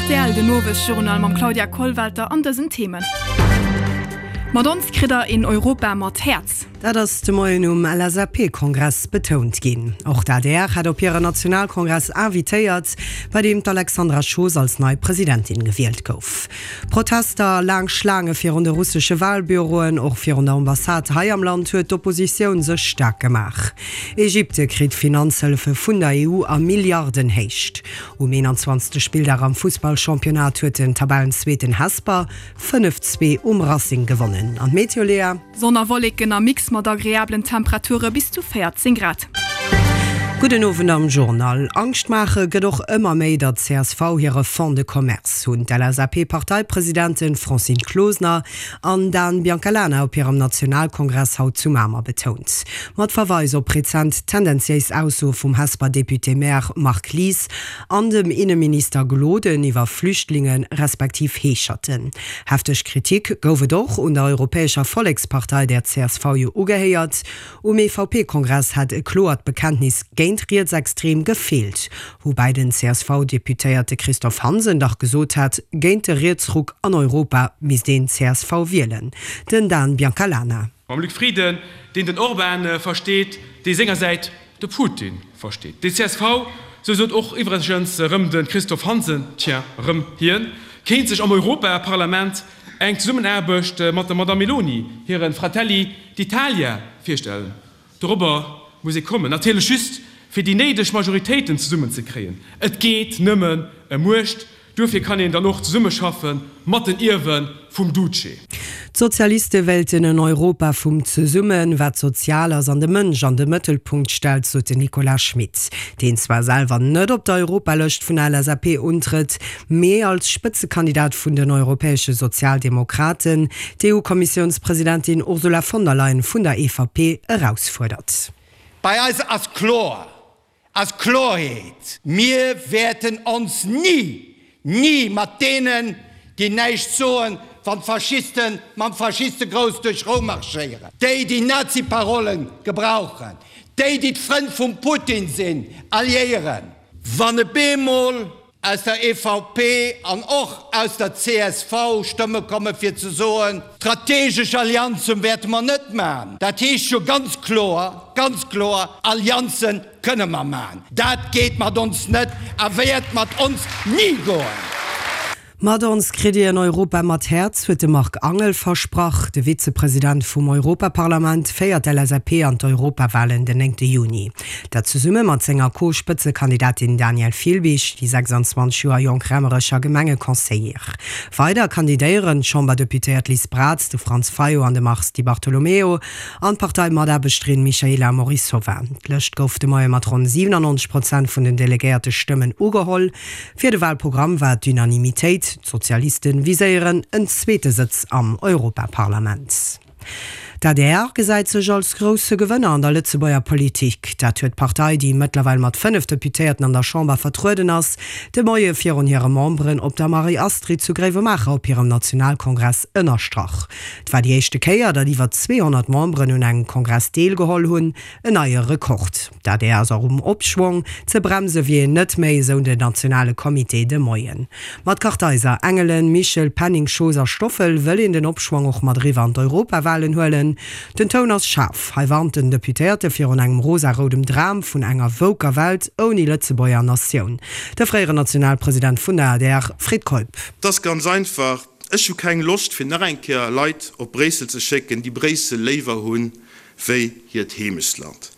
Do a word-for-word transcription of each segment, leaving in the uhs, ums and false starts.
Rtl, den Owesjournal mam Claudia Kollwelter an dësen Themen. Mat ons kritt der een Europa mat Häerz. Dat ass de Moien um LSAP-Kongress betount ginn. Och d'ADR hat op hire Nationalkongress invitéiert, bei deem d'Alexandra Schoos als nei Presidentin gewielt gouf. Protester a laang Schlaange virun de russesche Walbüroen, och virun der Ambassade hei am Land huet d'Oppositioun sech staark gemaach. Ägypte kritt Finanzhëllefe vun der EU a Milliardenhéicht. Um eenanzwanzegste Spilldag am Fussballchampionnat huet den Tabellenzweeten Hesper fënnef, zwee um Racing gewonnen. An d'Meteo, Léa? Sonn a Wolleken am Mix mat agreablen Temperature bis zu véierzéng Grad. Gudden Owend am Journal. Angscht maache gëtt och ëmmer méi der csv hire Fonds de commerce, hunn d'LSAP-Parteipresidenten Francine Closener an Dan Biancalana op hirem Nationalkongress haut zu Mamer betount. Mat Verweis op rezent tendenziéis Aussoe vum Hesper Député-Maire Marc Lies an dem Inneminister Gloden iwwer Flüchtlinge respektiv Heescherten. Hefteg Kritik gouf et och un der Europäescher Vollekspartei, där csv jo ugehéiert. Um EVP-Kongress hätt e kloert Bekenntnis géint Rietsextrem gefeelt, woubäi den CSV-Deputéierte Christophe Hansen dach gesot hat, géint de Rietsruck an Europa misst een csv wielen. Den Dan Biancalana. Mam Luc Frieden, deen den Orbán versteet, dee sengersäit de Putin versteet. Déi csv, sou sot och iwwregens erëm de Christophe Hansen, tiens, erëm hien, kéint sech am Europaparlament eng Zesummenaarbecht mat der Madamm Meloni hire Fratelli d'Italia virstellen. Dorobber muss ee kommen, natierlech just fir déi néideg Majoritéiten zesummenzekréien. Et geet nëmmen ëm Muecht. Duerfir kann een dann och zesummeschaffe mat den Ierwe vum Duce. D'Sozialiste wéilten en Europa vum Zesummen, wat sozial ass an de Mënsch an de Mëttelpunkt stellt, sot den Nicolas Schmit, deen zwar selwer net op der Europalëscht vun der LSAP untrëtt, mee als Spëtzekandidat vun den europäesche Sozialdemokraten d'EU-Kommissiounspresidentin Ursula von der Leyen vun der EVP erausfuerdert. Bei eis ass kloer, ass Kloerheet, Mir wäerten ons ni, ni mat deenen, déi näischt soen, wann d'Faschiste mam Faschistegrous duerch Roum marschéieren, déi, déi Naziparolle gebrauchen, déi, déi d'Frënn vum Putin sinn, alliéieren. Wann e bemol aus der EVP an och aus der csv Stëmme komme fir ze soen, Strategesch Allianzen wäerte mer net maachen, dat heescht jo ganz kloer, ganz kloer, Allianze kënne mer maachen, dat geet mat ons net a wäert mat ons ni goen. Mat ons kritt Dir en Europa mat Häerz, huet de Marc Angel versprach. De Vizepresident vum Europaparlament féiert d'LSAP an d'Europawalen den néngte Juni. Dat zesumme mat senger Co-Spëtzekandidatin Danièle Filbig, déi sechsandzwanzeg Joer jonk Raemerecher Gemengeconseillère. Weider kandidéieren d'Chamberdeputéiert Liz Braz, de Franz Fayot an de Mars Di Bartolomeo an d'Parteimataarbechterin Michaela Morisova. D'Lëscht gouf de Moie mat ronn siwenannonzeg Prozent vun den delegéierte Stëmmen ugeholl. Fir de Walprogramm war d'Unanimitéit, d'Sozialiste viséieren en zweete Sëtz am Europaparlament. D'adr gesäit sech als grousse Gewënner an der Lëtzebuerger Politik. Dat huet d'Partei, déi mëttlerweil mat fënnef Deputéierten an der Chamber vertrueden ass, de Moie virun hire Memberen op der Marie-Astrid zu Gréiwemaacher op hirem Nationalkongress ënnerstrach. Et war déi éischte Kéier, datt iwwer zweehonnert Memberen un engem Kongress deelgeholl hunn, en neie Rekord. D'adr ass och um Opschwong, ze bremse wier een net méi, esou den nationale Comité de Moien. Mat Kartheiser, Engelen, Michel, Penning, Schoos a Stoffel wëll een den Opschwong och mat eriwwer an d'Europawalen huelen. Den Toun ass schaarf. Hei warnt den Deputéierte virun engem rosa-roudem Dram vun enger woker Welt ouni Lëtzebuerger Natioun. De fréieren Nationalpresident vun der adr, Fred Keup. Et ass ganz einfach, Ech hu keng Loscht fir nach eng Kéier Leit op Bréissel ze schécken, déi Bréissel léiwer hunn wéi hiert Heemechtsland,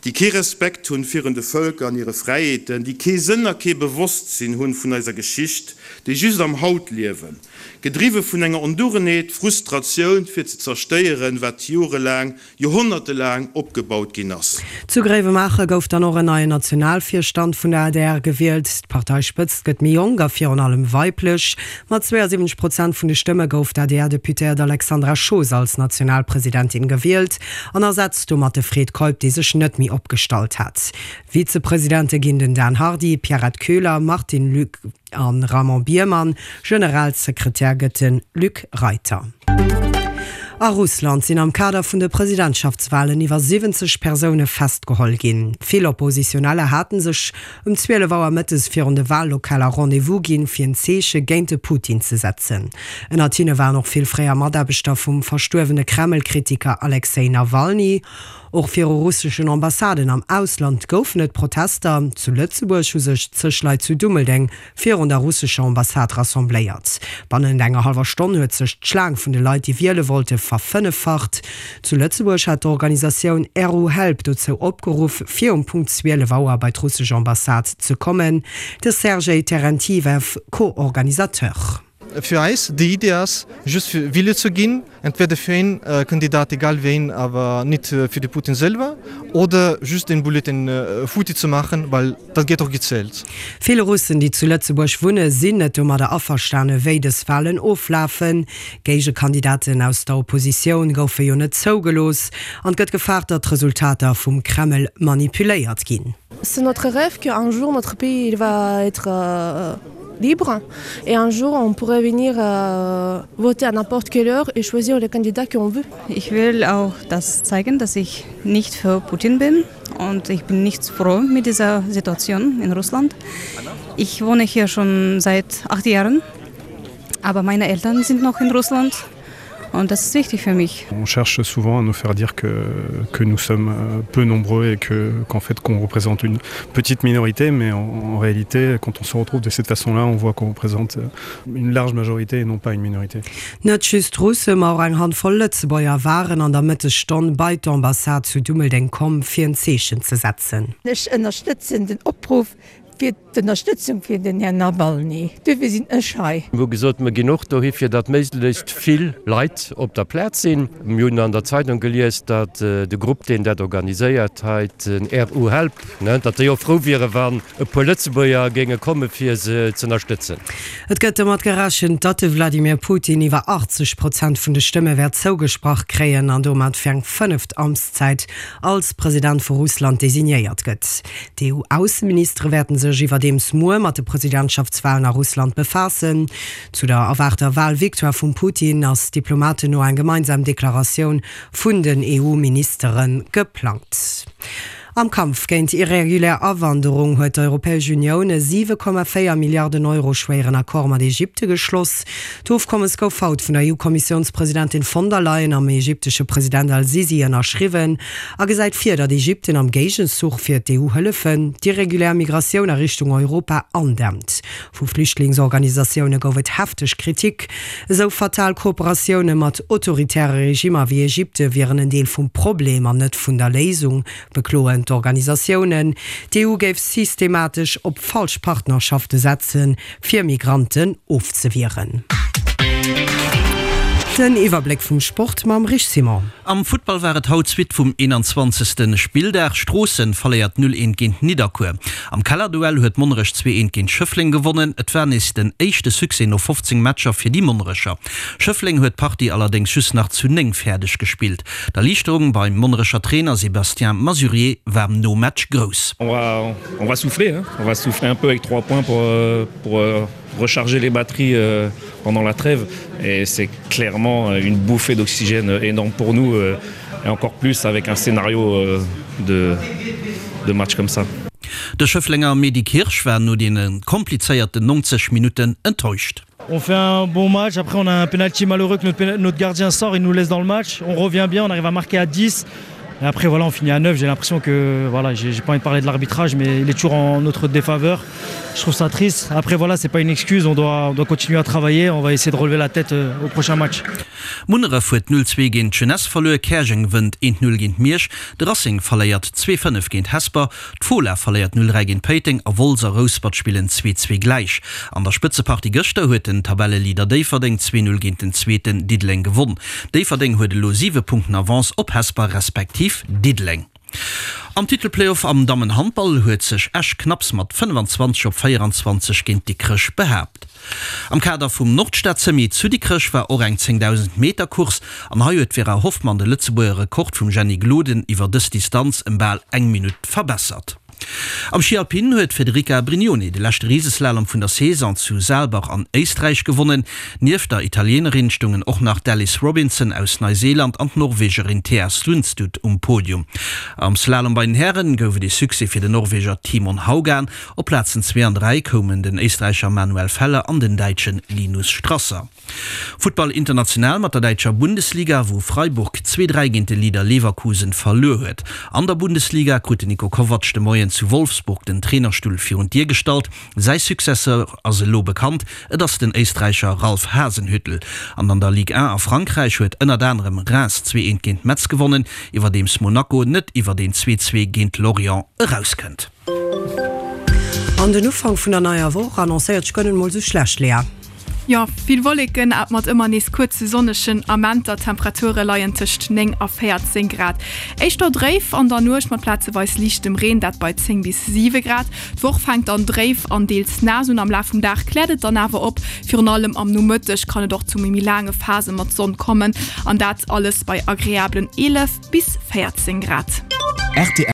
déi kee Respekt hunn virun de Vëlker an hire Fräiheeten, déi kee Sënn a kee Bewosstsinn hunn vun eiser Geschicht, déi just am Haut liewen, gedriwwe vun enger Ondugenheet, Frustratioun fir ze zerstéieren, wat jorelaang, joerhonnertelaang opgebaut ginn ass. Zu Gréiwemaacher gouf dann och en neien Nationalvirstand vun der adr gewielt. D'Parteispëtzt gëtt méi jonk a virun allem weiblech. Mat zweeënsiwwenzeg Prozent vun de Stëmme gouf d'ADR-Deputéiert Alexandra Schoos als Nationalpresidentin gewielt an ersetzt domat de Fred Keup, dee sech net méi opgestallt hat. Vizepresidente ginn den Dan Hardy, Pierrette Köhler, Martin Luc a Raymond Biermann. Generalsekretär gëtt de Luc Reiter. A Russland sinn am Kader vun de Presidentschaftswalen iwwer siwwenzeg Persoune festgeholl ginn. Vill Oppositioneller hate sech um zwielef Auer mëttes virun de Wallokaler Rendez-vous ginn, fir en Zeeche géint de Putin ze setzen. Ënnert hinne waren och vill fréier Mataarbechter vum verstuerwene Kreml-Kritiker Alexej Nawalny. Och viru russeschen Ambassaden am Ausland goufen et Protester. Zu Lëtzebuerg hu sech zeg Leit zu Dummeldeng virun der russescher Ambassade rassembléiert. Bannent enger hallwer Stonn huet sech d'Schlaang vun de Leit, déi wiele wollte, verfënneffacht. Zu Lëtzebuerg hat d'Organisatioun RU-Help dozou opgeruff, fir um Punkt zwielef Auer bei d'russesch Ambassade ze kommen. De Sergei Terentiev, Co-Organisateur. Fir eis déi Idee ass just fir Wille ze ginn, entweder fir een Kandidat, egal ween, awer nit fir de Putin selwer, oder just den Bulletin futti ze maachen, well dat gëtt och gezielt. Vill Russen, déi zu Lëtzebuerg wunne, sinn net domadder averstane wéi dës Walen oflafen. Géigekandidaten aus der Oppositioun goufe jo net zougelooss an et gëtt gefaart, datt d'Resultater vum Kreml manipuléiert ginn. C'est notre rêve qu'un jour notre pays il va être libre et un jour on pourrait venir voter à n'importe quelle heure et choisir le candidat qu'on veut. Ich will auch das zeigen, dass ich nicht für Putin bin und ich bin nicht froh mit dieser Situation in Russland. Ich wohne hier schon seit acht Jahren, aber meine Eltern sind noch in Russland und das ist wichtig für mich. On cherche souvent à nous faire dire que, que nous sommes peu nombreux et que, qu'en fait qu'on représente une petite minorité, mais en, en réalité, quand on se retrouve de cette façon-là, on voit qu'on représente une large majorité et non pas une minorité. Net just Russe, ma och eng Handvoll Lëtzebuerger waren an der Mëttesstonn bei d'Ambassade zu Dummeldeng komm, fir en Zeechen ze setzen. Ech ënnerstëtzen den Opruff fir d'Ënnerstëtzung fir den Här Nawalny. Duerfir sinn ech hei. Mir hu gesot, mir ginn och dohi fir datt méiglechst vill Leit op der Plaz sinn. Mir hunn an der Zeitung gelies, datt de Grupp, deen dat organiséiert hei, den RU Help, datt déi och frou wiere wann e puer Lëtzebuerger géinge komme fir se z'ënnerstëtzen. Et gëtt domat gerechent, datt de Wladimir Putin iwwer achtzeg Prozent vun de Stëmme wäert zougesprach kréien an domat fir eng fënneft Amtszäit als President vu Russland designéiert gëtt. D'EU-Ausseministere wäerten sech iwwerdeems muer mat de Presidentschaftswalen a Russland befaassen. Zu der erwaarter Walvictoire vum Putin ass Diplomaten no eng gemeinsam Deklaratioun vun den EU-Ministere geplangt. Am Kampf géint irregulär Awanderung huet d'Europäesch Unioun e siwe Komma véier Milliarden Euro schwéieren Accord mat Ägypte geschloss. D'Ofkommes gouf haut vun der EU-Kommissiounspresidentin von der Leyen am ägyptesche President al-Sisi ënnerschriwwen a gesäit vir, datt Ägypten am Géigenzuch fir d'EU-Hëllefen d'irregulär Migratioun a Richtung Europa andämmt. Vu Flüchtlingsorganisatioune gouf et hefteg Kritik. Esou fatal Kooperatioune mat autoritäre Regimmer wéi Ägypte wieren en Deel vum Problem an net vun der Léisung, bekloen d'Organisatiounen. D'EU géif systematesch op falsch Partnerschafte setzen, fir Migranten ofzewieren. Den Iwwerbléck vum Sport mam Rich Simon. Am Futtball war et haut d'Suite vum eenanzwanzegste Spilldag. Stroossen verléiert null eent géint Nidderkuer. Am Kellerduell huet Monnerech zwee eent géint Schëffleng gewonnen. Et war nees den éischte Succès no fofzéng Matcher fir déi Monnerecher. Schëffleng huet d'Partie allerdéngs just nach zu néng fäerdeg gespillt. D'Erliichterung beim Monnerecher Trainer Sébastien Masurier war nom Match grouss. On va, on va souffler, hein. On va souffler un peu avec trois points pour, pour recharger les batteries pendant la trêve et c'est clairement une bouffée d'oxygène énorme pour nous et encore plus avec un scénario de, de match comme ça. De Schëfflenger Mehdi Kirsch war no deene komplizéierten neunzeg Minutten enttäuscht. On fait un bon match, après on a un penalty malheureux que notre, notre gardien sort, il nous laisse dans le match, on revient bien, on arrive à marquer à dix. Et après voilà, on finit à neuf, j'ai l'impression que voilà, j'ai, j'ai pas envie de parler de l'arbitrage, mais il est toujours en notre défaveur. Je trouve ça triste. Après voilà, c'est pas une excuse, on doit, on doit continuer à travailler, on va essayer de relever la tête au prochain match. Munneref huet null zwee géint d'Jeunesse verluer, Käerjeng wënnt eent null géint Miersch, de Racing verléiert zwee fënnef géint Hesper, d'Fola verléiert null dräi géint Péiteng a Wolz a Rouspert spillen zwee zwee gläich. An der Spëtzepartie gëschter huet den Tabelleleader Déifferdeng zwee null géint den Zweeten Diddeleng gewonn. Déifferdeng huet elo siwe Punkten Avance op Hesper respektiv Diddeleng. Am Titelplayoff am Dammenhandball huet sech Esch knapps mat fënnefanzwanzeg op véieranzwanzeg géint Dikrech behaapt. Am Kader vum Nordstad-Semi zu Dikrech war och eng zéngdausend Meter Course an hei huet d'Vera Hoffmann de Lëtzebuerger Rekord vum Jenny Gloden iwwer dës Distanz ëm bal eng Minutt verbessert. Am Schi Alpin huet d'Federica Brignone de leschte Riseslalom vun der Saison zu Saalbach an Éisträich gewonnen. Nieft der Italienerin stoungen och nach d'Alice Robinson aus Neuseeland an d'Norwegerin Thea Sundstut um Podium. Am Slalom bei den Hären gouf et ee Succès fir den Norweger Timon Haugan. Op Plazen zwee an dräi koumen den Éisträicher Manuel Feller an den Däitsche Linus Strasser. Futtball international mat der däitscher Bundesliga, wou Freiburg zwee, dräi géint de Leader Leverkusen verluer huet. An der Bundesliga krut den Niko Kovac de Moien zu Wolfsburg den Trainerstull virun d'Dier gestallt. Säi Successeur ass elo bekannt, et ass den Éisträicher Ralph Hasenhüttl. An an der Ligue un a Frankräich huet ënnert anerem Reims zwee eent géint Metz gewonnen, iwwerdeems Monaco net iwwert een zwee zwee géint Lorient erauskënnt. An den Ufank vun der neier Woch annoncéiert sech guer net mol sou schlecht, Léa. Jo, vill Wolleken a mat ëmmer nees kuerze sonnegen Amenter. D'Temperature leien tëscht néng a véierzéng Grad. Éischter dréif an der Nuecht mat plazeweis liichtem Reen, dat bei zéng bis siwe Grad. D'Woch fänkt dann dréif an deels naass un, am Laf vum Dag kläert et dann awer op. Virun allem am Nomëtteg kann et och zu méi laange Phase mat Sonn kommen, an dat alles bei agreablen eelef bis véierzéng Grad. Rtl.